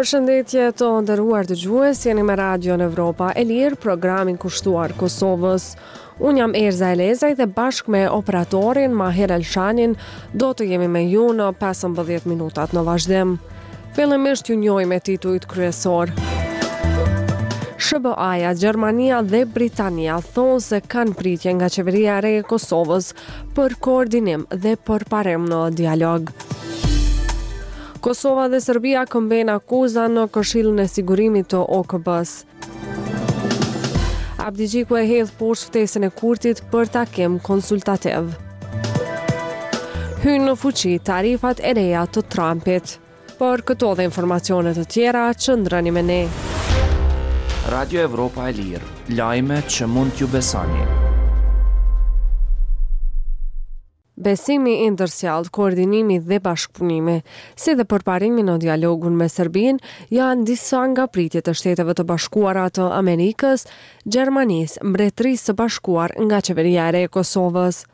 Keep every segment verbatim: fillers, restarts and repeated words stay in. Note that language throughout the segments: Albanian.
Përshëndetje të nderuar dëgjues, jeni me Radion Evropa e Lirë, programin kushtuar Kosovës. Unë jam Erza Elezaj dhe bashkë me operatorin Mahir Elshanin do të jemi me ju në pesëmbëdhjetë minutat në vazhdim. Fillimisht ju njohim me titujt kryesor. S H B A-ja, Gjermania dhe Britania thonë se kanë pritje nga qeveria e re e Kosovës për koordinim dhe përparim në dialog. Kosova dhe Serbia këmbejnë akuza në Këshillin e Sigurimit të O K B-s. Abdixhiku e hedh poshtë ftesën e Kurtit për takim konsultativ. Hyjnë në fuqi tarifat e reja të Trumpit. Për këto dhe informacione të tjera, qëndroni me ne. Radio Evropa e Lirë, lajme që mund t'ju besoni. Besimi i ndërsjelltë, koordinimi dhe bashkëpunimi, si dhe përparimi në dialogun me Serbinë, janë disa nga pritjet e Shteteve të Bashkuara të Amerikës, Gjermanisë, Mbretërisë së Bashkuar nga qeveria e re e Kosovës.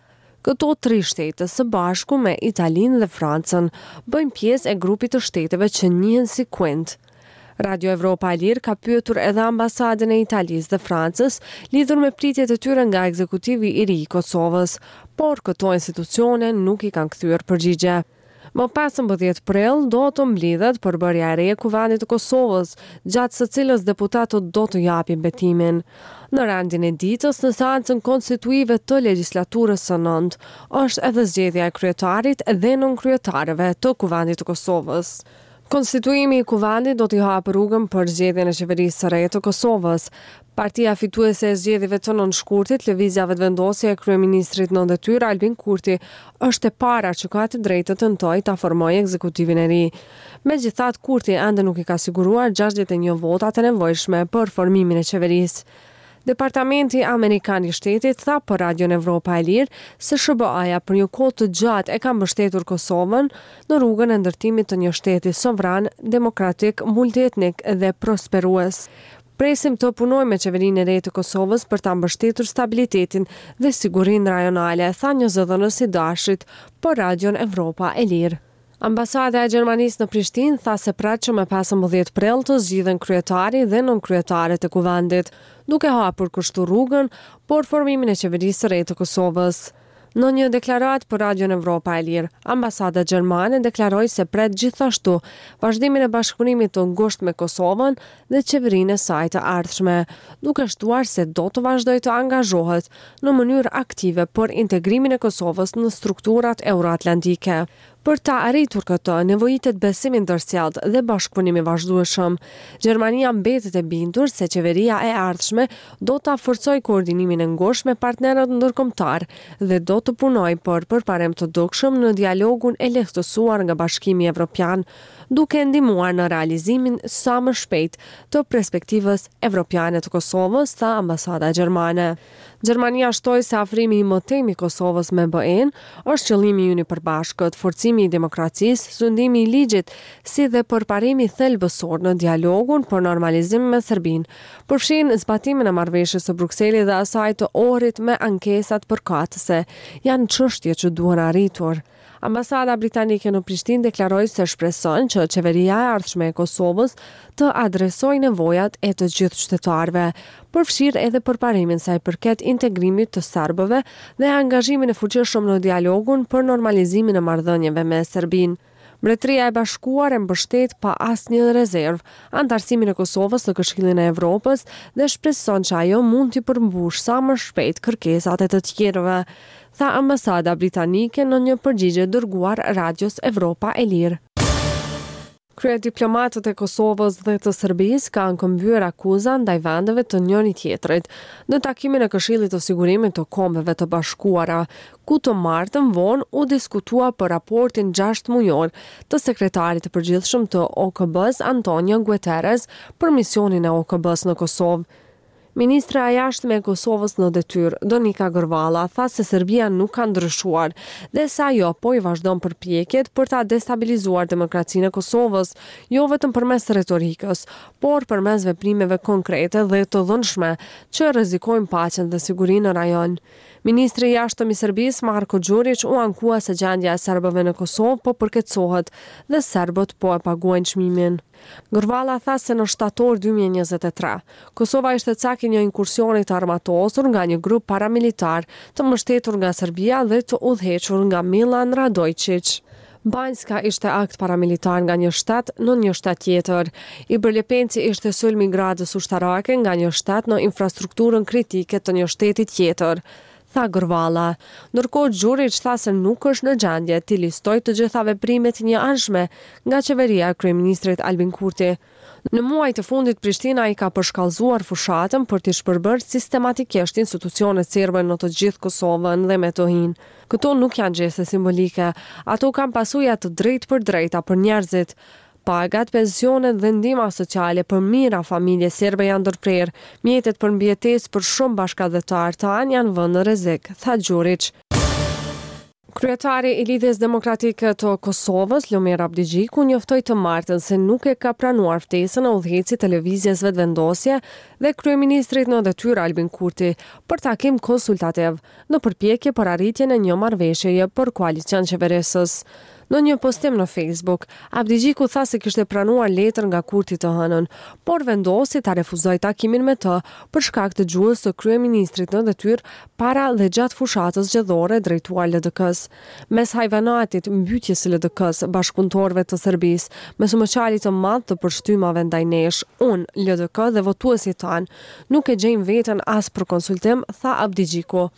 Këto tri shtete së bashku me Italinë dhe Francën bëjnë pjesë e grupit të shteteve që njihen si Quint. Radio Evropa e Lirë ka pyetur edhe ambasadën e Italisë dhe Francës lidhur me pritjet e tyre nga ekzekutivi i ri i Kosovës, por këto institucione nuk i kanë kthyer përgjigje. Më pesëmbëdhjetë prill do të mblidhet përbërja e re e Kuvendit të Kosovës, gjatë së cilës deputetët do të japin betimin. Në rendin e ditës, në seancën konstituive të legjislaturës së nëntë, është edhe zgjedhja e kryetarit dhe nënkryetarëve të Kuvendit të Kosovës. Konstituimi i Kuvendit do t'i hapë rrugën për zgjedhjen e qeverisë së re të Kosovës. Partia fituese e zgjedhjeve të nënshkurtit, Lëvizja Vetëvendosje e kryeministrit në detyrë Albin Kurti, është e para që ka të drejtë të tentojë ta formojë ekzekutivin e ri. Megjithatë, Kurti ende nuk i ka siguruar gjashtëdhjetë e një votat e nevojshme për formimin e qeverisë. Departamenti Amerikan i Shtetit tha për Radion Evropa e Lirë se S H B A-ja për një kohë të gjatë e ka mbështetur Kosovën në rrugën e ndërtimit të një shteti sovran, demokratik, multietnik dhe prosperues. Presim të punojmë me qeverinë e re të Kosovës për ta mbështetur stabilitetin dhe sigurinë rajonale, tha një zëdhënës i Dashit për Radion Evropa e Lirë. Ambasada e Gjermanisë në Prishtinë tha se pret që me pesëmbëdhjetë prill të zgjidhen kryetari dhe nënkryetarët e Kuvendit, duke hapur kështu rrugën për formimin e qeverisë së re të Kosovës. Në një deklaratë për Radion Evropa e Lirë, ambasada gjermane deklaroi se pret gjithashtu vazhdimin e bashkëpunimit të ngushtë me Kosovën dhe qeverinë e saj të ardhshme, duke shtuar se do të vazhdojë të angazhohet në mënyrë aktive për integrimin e Kosovës në strukturat euroatlantike. Për ta arritur këtë, nevojitet besim i ndërsjelltë dhe bashkëpunim i vazhdueshëm. Gjermania mbetet e bindur se qeveria e ardhshme do ta forcojë koordinimin e ngushtë me partnerët ndërkombëtar dhe do të punojë për përparim të dukshëm në dialogun e lehtësuar nga Bashkimi Evropian, duke ndihmuar në realizimin sa më shpejt të perspektivës evropiane të Kosovës, tha ambasada gjermane. Gjermania shtoi se afrimi i mëtejmë i Kosovës me B E-n është qëllimi ynë i përbashkët, forcimi i demokracisë, sundimi i ligjit, si dhe përparimi thelbësor në dialogun për normalizim me Serbinë, përfshin zbatimin e marrëveshjes së Brukselit dhe asaj të Ohrit me ankesat përkatëse, janë çështje që duhen arritur. Ambasada britanike në Prishtinë deklaroi se shpreson që qeveria e ardhshme e Kosovës të adresojë nevojat e të gjithë qytetarëve, përfshirë edhe përparimin sa i përket integrimit të serbëve dhe angazhimin e fuqishëm në dialogun për normalizimin e marrëdhënieve me Serbinë. Mbretëria e Bashkuar e mbështet pa asnjë rezervë antarësimin e Kosovës në Këshillin e Evropës dhe shpreson që ajo mund t'i përmbushë sa më shpejt kërkesat e të tjerëve, tha ambasada britanike në një përgjigje dërguar Radios Evropa e Lirë. Kryediplomatët e Kosovës dhe të Serbisë kanë këmbyer akuza ndaj vendeve të njëri tjetrit në takimin e Këshillit të Sigurimit të Kombeve të Bashkuara, ku të martën vonë u diskutua për raportin gjashtë mujor të sekretarit të përgjithshëm të O K B-s Antonio Guterres për misionin e O K B-s në Kosovë. Ministrja e Jashtme e Kosovës në detyrë, Donika Gërvalla, tha se Serbia nuk ka ndryshuar dhe se ajo po i vazhdon përpjekjet për ta destabilizuar demokracinë e Kosovës, jo vetëm përmes retorikës, por përmes veprimeve konkrete dhe të dhunshme që rrezikojnë paqen dhe sigurinë në rajon. Ministri i Jashtëm i Serbisë, Marko Gjuriq, u ankua se gjendja e serbëve në Kosovë po përkeqësohet dhe serbët po e paguajnë çmimin. Gërvalla tha se në shtator dy mijë e njëzet e tre, Kosova ishte cak i një inkursioni të armatosur nga një grup paramilitar të mbështetur nga Serbia dhe të udhëhequr nga Milan Radoiçiq. Banjska ishte akt paramilitar nga një shtet në një shtet tjetër. Ibër-Lepenci ishte sulm i gradës ushtarake nga një shtet në infrastrukturën kritike të një shteti tjetër, tha Gërvalla. Ndërkohë, Gjuriq tha se nuk është në gjendje t'i listojë të gjitha veprimet e njëanshme nga qeveria e kryeministrit Albin Kurti. Në muajt e fundit, Prishtina i ka përshkallëzuar fushatën për t'i shpërbërë sistematikisht institucionet serbe në të gjithë Kosovën dhe Metohinë. Këto nuk janë gjeste simbolike, ato kanë pasoja të drejtë për drejta për njerëzit. Pagat, pensionet dhe ndihma sociale për mijëra familje serbe janë ndërprerë, mjetet për mbijetesë për shumë bashkatdhetarë tanë janë vënë në rrezik, tha Gjuriq. Kryetari i Lidhjes Demokratike të Kosovës, Lumir Abdixhiku, njoftoi të martën se nuk e ka pranuar ftesën e udhëheqësit të Lëvizjes Vetëvendosje dhe kryeministrit në detyrë Albin Kurti për takim konsultativ në përpjekje për arritjen e një marrëveshjeje për koalicion qeverisës. Në një postim në Facebook, Abdixhiku tha se kishte pranuar letër nga Kurti të hënën, por vendosi ta refuzojë takimin me të për shkak të gjuhës së kryeministrit në detyrë para dhe gjatë fushatës zgjedhore drejtuar L D K-s. Mes hajvanatit, mbytjes së L D K-s, bashkëpunëtorëve të Serbisë, mes moçalit të madh të përshtypjeve ndaj nesh, unë, L D K dhe votuesit tanë, nuk e gjejmë veten as për konsultim, tha Abdixhiku.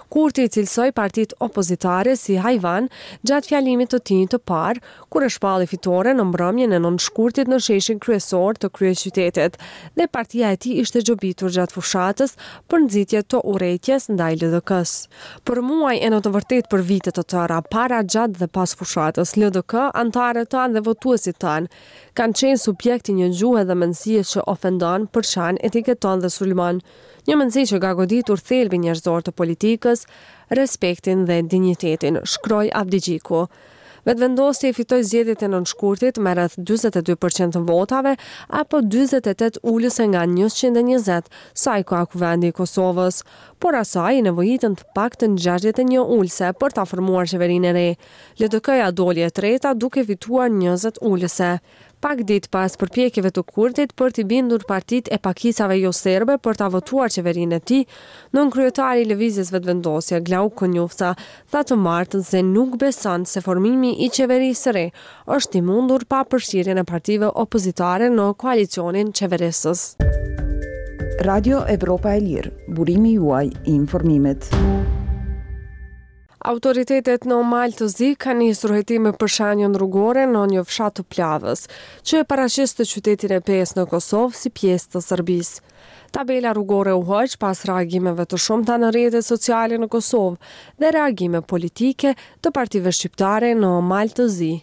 Kurti i cilësoi partitë opozitare si hajvan gjatë fjalimit të tij të parë, kur e shpalli fitore në mbrëmjen e nëntë shkurtit në sheshin kryesor të kryeqytetit, dhe partia e tij ishte gjobitur gjatë fushatës për nxitje të urrejtjes ndaj L D K-s. Për muaj e në të vërtetë për vite të tëra, para, gjatë dhe pas fushatës, L D K, anëtarët tanë dhe votuesit tanë kanë qenë subjekt i një gjuhe dhe mendësie që ofendon, përçan, etiketon dhe sulmon. Një mendësi që ka goditur thelbin njerëzor të politikës, respektin dhe dinjitetin, shkroi Abdixhiku. Vetëvendosje i fitoi zgjedhjet e nëntë shkurtit me rreth dyzet e dy përqind të votave apo dyzet e tetë ulëse nga njëqind e njëzet sa i ka Kuvendi i Kosovës, por asaj i nevojitën të paktën gjashtëdhjetë e një ulëse për ta formuar qeverinë e re. L D K-ja doli e treta duke fituar njëzet ulëse. Pak ditë pas përpjekjeve të Kurtit për t'i bindur partitë e pakicave jo serbe për ta votuar qeverinë e tij, nënkryetari i Lëvizjes Vetëvendosje, Glauk Konjufca, tha të martën se nuk beson se formimi i qeverisë së re është i mundur pa përfshirjen e partive opozitare në koalicionin qeverisës. Radio Evropa e Lirë, burimi juaj i informimit. Autoritetet në Mal të Zi kanë nisur hetime për shenjën rrugore në një fshat të Plavës, që e paraqiste qytetin e Pejës në Kosovë si pjesë të Serbisë. Tabela rrugore u hoq pas reagimeve të shumta në rrjetet sociale në Kosovë dhe reagime politike të partive shqiptare në Mal të Zi.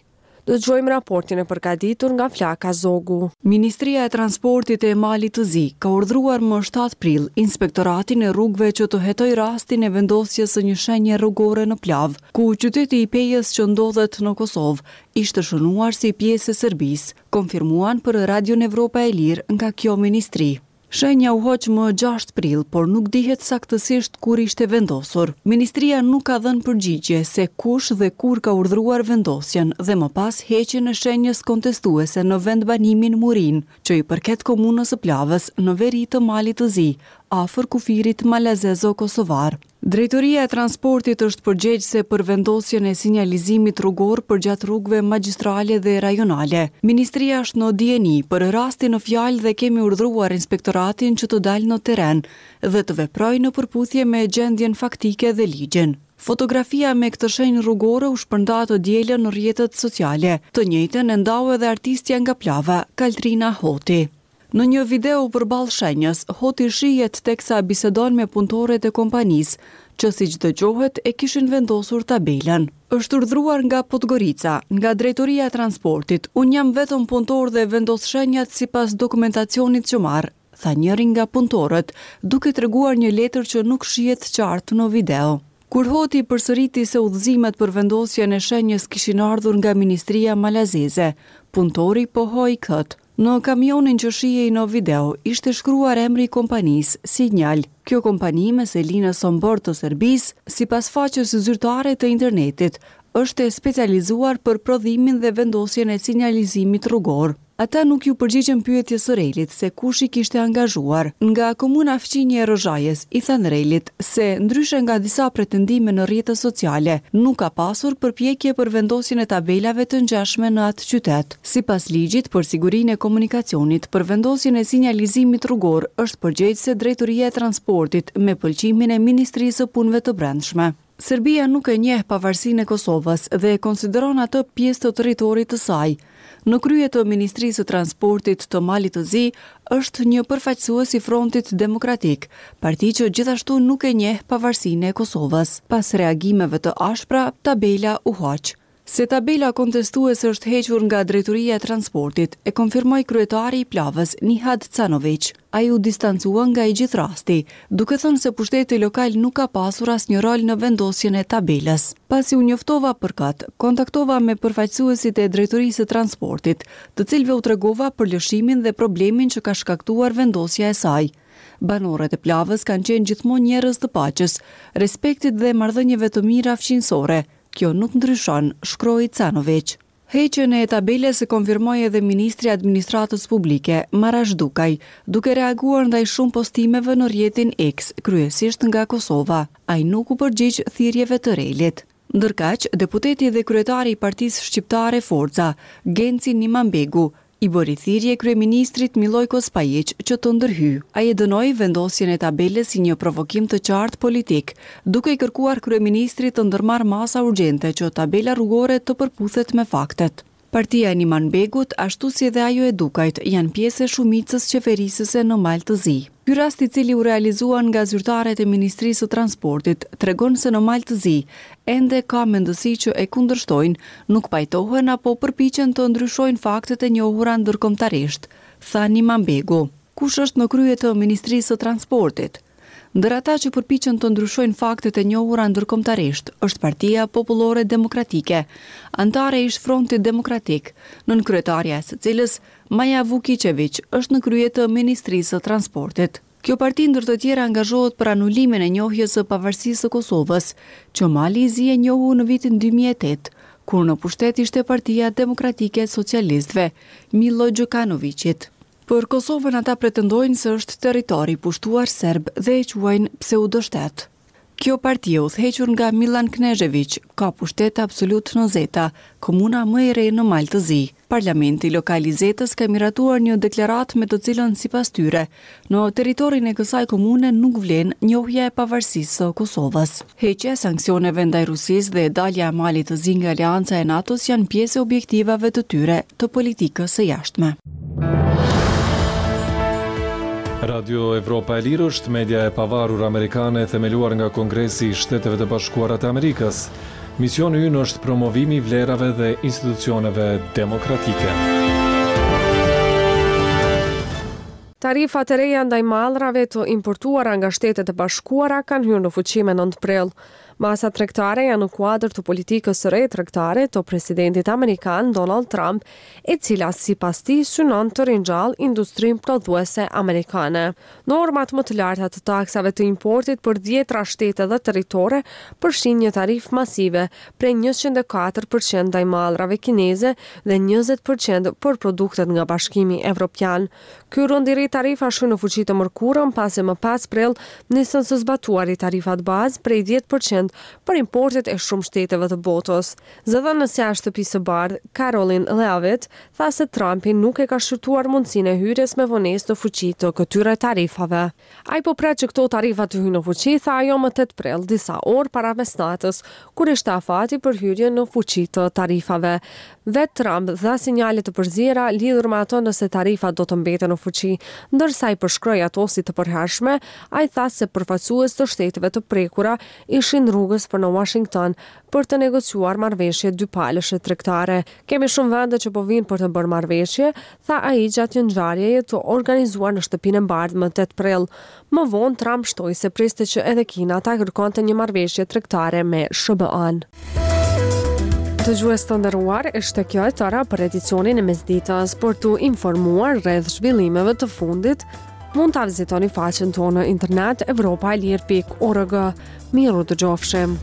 Dëgjojmë raportin e përgatitur nga Flaka Zogu. Ministria e Transportit e Malit të Zi ka urdhëruar më shtatë prill inspektoratin e rrugëve që të hetojë rastin e vendosjes së një shenje rrugore në Plavë, ku qyteti i Pejës që ndodhet në Kosovë ishte shënuar si pjesë e Serbisë, konfirmuan për Radion Evropa e Lirë nga kjo ministri. Shenja u hoq më gjashtë prill, por nuk dihet saktësisht kur ishte vendosur. Ministria nuk ka dhënë përgjigje se kush dhe kur ka urdhëruar vendosjen dhe më pas heqjen e shenjës kontestuese në vendbanimin Murin, që i përket komunës së Plavës në veri të Malit të Zi, afër kufirit malazezo-kosovar. Drejtoria e Transportit është përgjegjëse për vendosjen e sinjalizimit rrugor përgjatë rrugëve magjistrale dhe rajonale. Ministria është në dijeni për rastin në fjalë dhe kemi urdhëruar inspektoratin që të dalë në terren dhe të veprojë në përputhje me gjendjen faktike dhe ligjin. Fotografia me këtë shenjë rrugore u shpërnda të dielën në rrjetet sociale. Të njëjtën e ndau edhe artistja nga Plava, Kaltrina Hoti. Në një video përballë shenjës, Hoti shihet teksa bisedon me punëtorët e kompanisë, që siç dëgjohet e kishin vendosur tabelën. Është urdhëruar nga Podgorica, nga Drejtoria e Transportit. Unë jam vetëm punëtor dhe vendos shenjat sipas dokumentacionit që marr, tha njëri nga punëtorët, duke treguar një letër që nuk shihet qartë në video. Kur Hoti përsëriti se udhëzimet për vendosjen e shenjës kishin ardhur nga Ministria Malazeze, punëtori pohoi këtë. Në kamionin që shihej në video ishte shkruar emri i kompanisë, Signal. Kjo kompani me seli në Sombor të Serbisë, sipas faqes zyrtare të internetit, është e specializuar për prodhimin dhe vendosjen e sinjalizimit rrugor. Ata nuk iu përgjigjën pyetjes së REL-it se kush i kishte angazhuar. Nga komuna fqinje e Rozhajës i thanë REL-it se ndryshe nga disa pretendime në rrjetet sociale, nuk ka pasur përpjekje për vendosjen e tabelave të ngjashme në atë qytet. Sipas ligjit për sigurinë e komunikacionit, për vendosjen e sinjalizimit rrugor është përgjegjëse Drejtoria e Transportit me pëlqimin e Ministrisë së Punëve të Brendshme. Serbia nuk e njeh pavarësinë e Kosovës dhe e konsideron atë pjesë të territorit të saj. Në krye të Ministrisë së Transportit të Malit të Zi është një përfaqësues i Frontit Demokratik, parti që gjithashtu nuk e njeh pavarësinë e Kosovës. Pas reagimeve të ashpra, tabela u hoq. Se tabela kontestuese është hequr nga Drejtoria e Transportit, e konfirmoi kryetari i Plavës, Nihad Canoviq. Ai u distancua nga i gjithë rasti, duke thënë se pushteti lokal nuk ka pasur asnjë rol në vendosjen e tabelës. Pasi u njoftova për këtë, kontaktova me përfaqësuesit e Drejtorisë së Transportit, të cilëve u tregova për lëshimin dhe problemin që ka shkaktuar vendosja e saj. Banorët e Plavës kanë qenë gjithmonë njerëz të paqes, respektit dhe marrëdhënieve të mira fqinjësore. Kjo nuk ndryshon, shkroi Canoviq. Heqjen e tabelës e konfirmoi edhe Ministri i Administratës Publike, Marash Dukaj, duke reaguar ndaj shumë postimeve në rrjetin X, kryesisht nga Kosova. Ai nuk u përgjigj thirrjeve të REL-it. Ndërkaq, deputeti dhe kryetari i Partisë Shqiptare Forca, Genci Nimanbegu, i bëri thirrje kryeministrit Milojko Spajiq që të ndërhyjë. Ai e dënoi vendosjen e tabelës si një provokim të qartë politik, duke i kërkuar kryeministrit të ndërmarrë masa urgjente që tabela rrugore të përputhet me faktet. Partia e Nimanbegut, ashtu si edhe ajo e Dukajt, janë pjesë e shumicës qeverisëse në Mal të Zi. Ky rast i cili u realizua nga zyrtarët e Ministrisë së Transportit tregon se në Mal të Zi ende ka mendësi që e kundërshtojnë, nuk pajtohen apo përpiqen të ndryshojnë faktet e njohura ndërkombëtarisht, tha Nimanbegu. Kush është në krye të Ministrisë së Transportit? Ndër ata që përpiqen të ndryshojnë faktet e njohura ndërkombëtarisht është Partia Popullore Demokratike, anëtare e ish Frontit Demokratik, nënkryetarja e së cilës, Maja Vukiqeviq, është në krye të Ministrisë së Transportit. Kjo parti ndër të tjera angazhohet për anulimin e njohjes së pavarësisë së Kosovës, që Mali i Zi e njohu në vitin dy mijë e tetë, kur në pushtet ishte Partia Demokratike e Socialistëve, Milo Gjukanoviqit. Për Kosovën ata pretendojnë se është territor i pushtuar serb dhe e quajnë pseudoshtet. Kjo parti e udhëhequr nga Milan Knezheviq ka pushtet absolut në Zeta, komuna më e re në Mal të Zi. Parlamenti lokal i Zetës ka miratuar një deklaratë me të cilën sipas tyre, në territorin e kësaj komune nuk vlen njohja e pavarësisë së Kosovës. Heqja e sanksioneve ndaj Rusisë dhe dalja e Malit të Zi nga aleanca e NATO-s janë pjesë e objektivave të tyre të politikës së jashtme. Radio Evropa e Lirë është media e pavarur amerikane e themeluar nga Kongresi i Shteteve të Bashkuara të Amerikës. Misioni ynë është promovimi i vlerave dhe institucioneve demokratike. Tarifat e reja ndaj mallrave të importuara nga Shtetet e Bashkuara kanë hyrë në fuqi me nëntë prill. Masat tregtare janë në kuadër të politikës së re tregtare të presidentit amerikan Donald Trump, e cila sipas tij synon të ringjallë industrinë prodhuese amerikane. Normat më të larta të taksave të importit për dhjetra shtete dhe territore përfshijnë një tarifë masive prej njëqind e katër përqind ndaj mallrave kineze dhe njëzet përqind për produktet nga Bashkimi Evropian. Ky rënd i ri tarifash hyn në fuqi të mërkurën, pasi më pesë prill nisën së zbatuari tarifat bazë prej dhjetë përqind për importet e shumë shteteve të botës. Zëdhënësja e Shtëpisë së Bardhë, Caroline Leavitt, tha se Trumpi nuk e ka shqyrtuar mundësinë e hyrjes me vonesë në fuqi të këtyre tarifave. Ai po pret që këto tarifa të hyjnë në fuqi, tha ajo më tetë prill, disa orë para mesnatës, kur ishte afati për hyrjen në fuqi të tarifave. Vetë Trump dha sinjale të përziera lidhur me ato nëse tarifat do të mbeten në fuqi, ndërsa i përshkroi ato si të përhershme, ai tha se përfaqësues të shteteve të prekura ishin rrugës për në Washington për të negociuar marrëveshje dypalëshe tregtare. Kemi shumë vende që po vijnë për të bërë marrëveshje, tha ai gjatë një ngjarjeje të organizuar në Shtëpinë e Bardhë më tetë prill. Më vonë, Trump shtoi se priste që edhe Kina ta kërkonte një marrëveshje tregtare me S H B A-n. Dëgjues të nderuar, ishte kjo e tëra për edicionin e mesditës. Për t'u informuar rreth zhvillimeve të fundit, mund ta vizitoni faqen tonë në internet evropaelire pikë org. Mirë u dëgjofshim.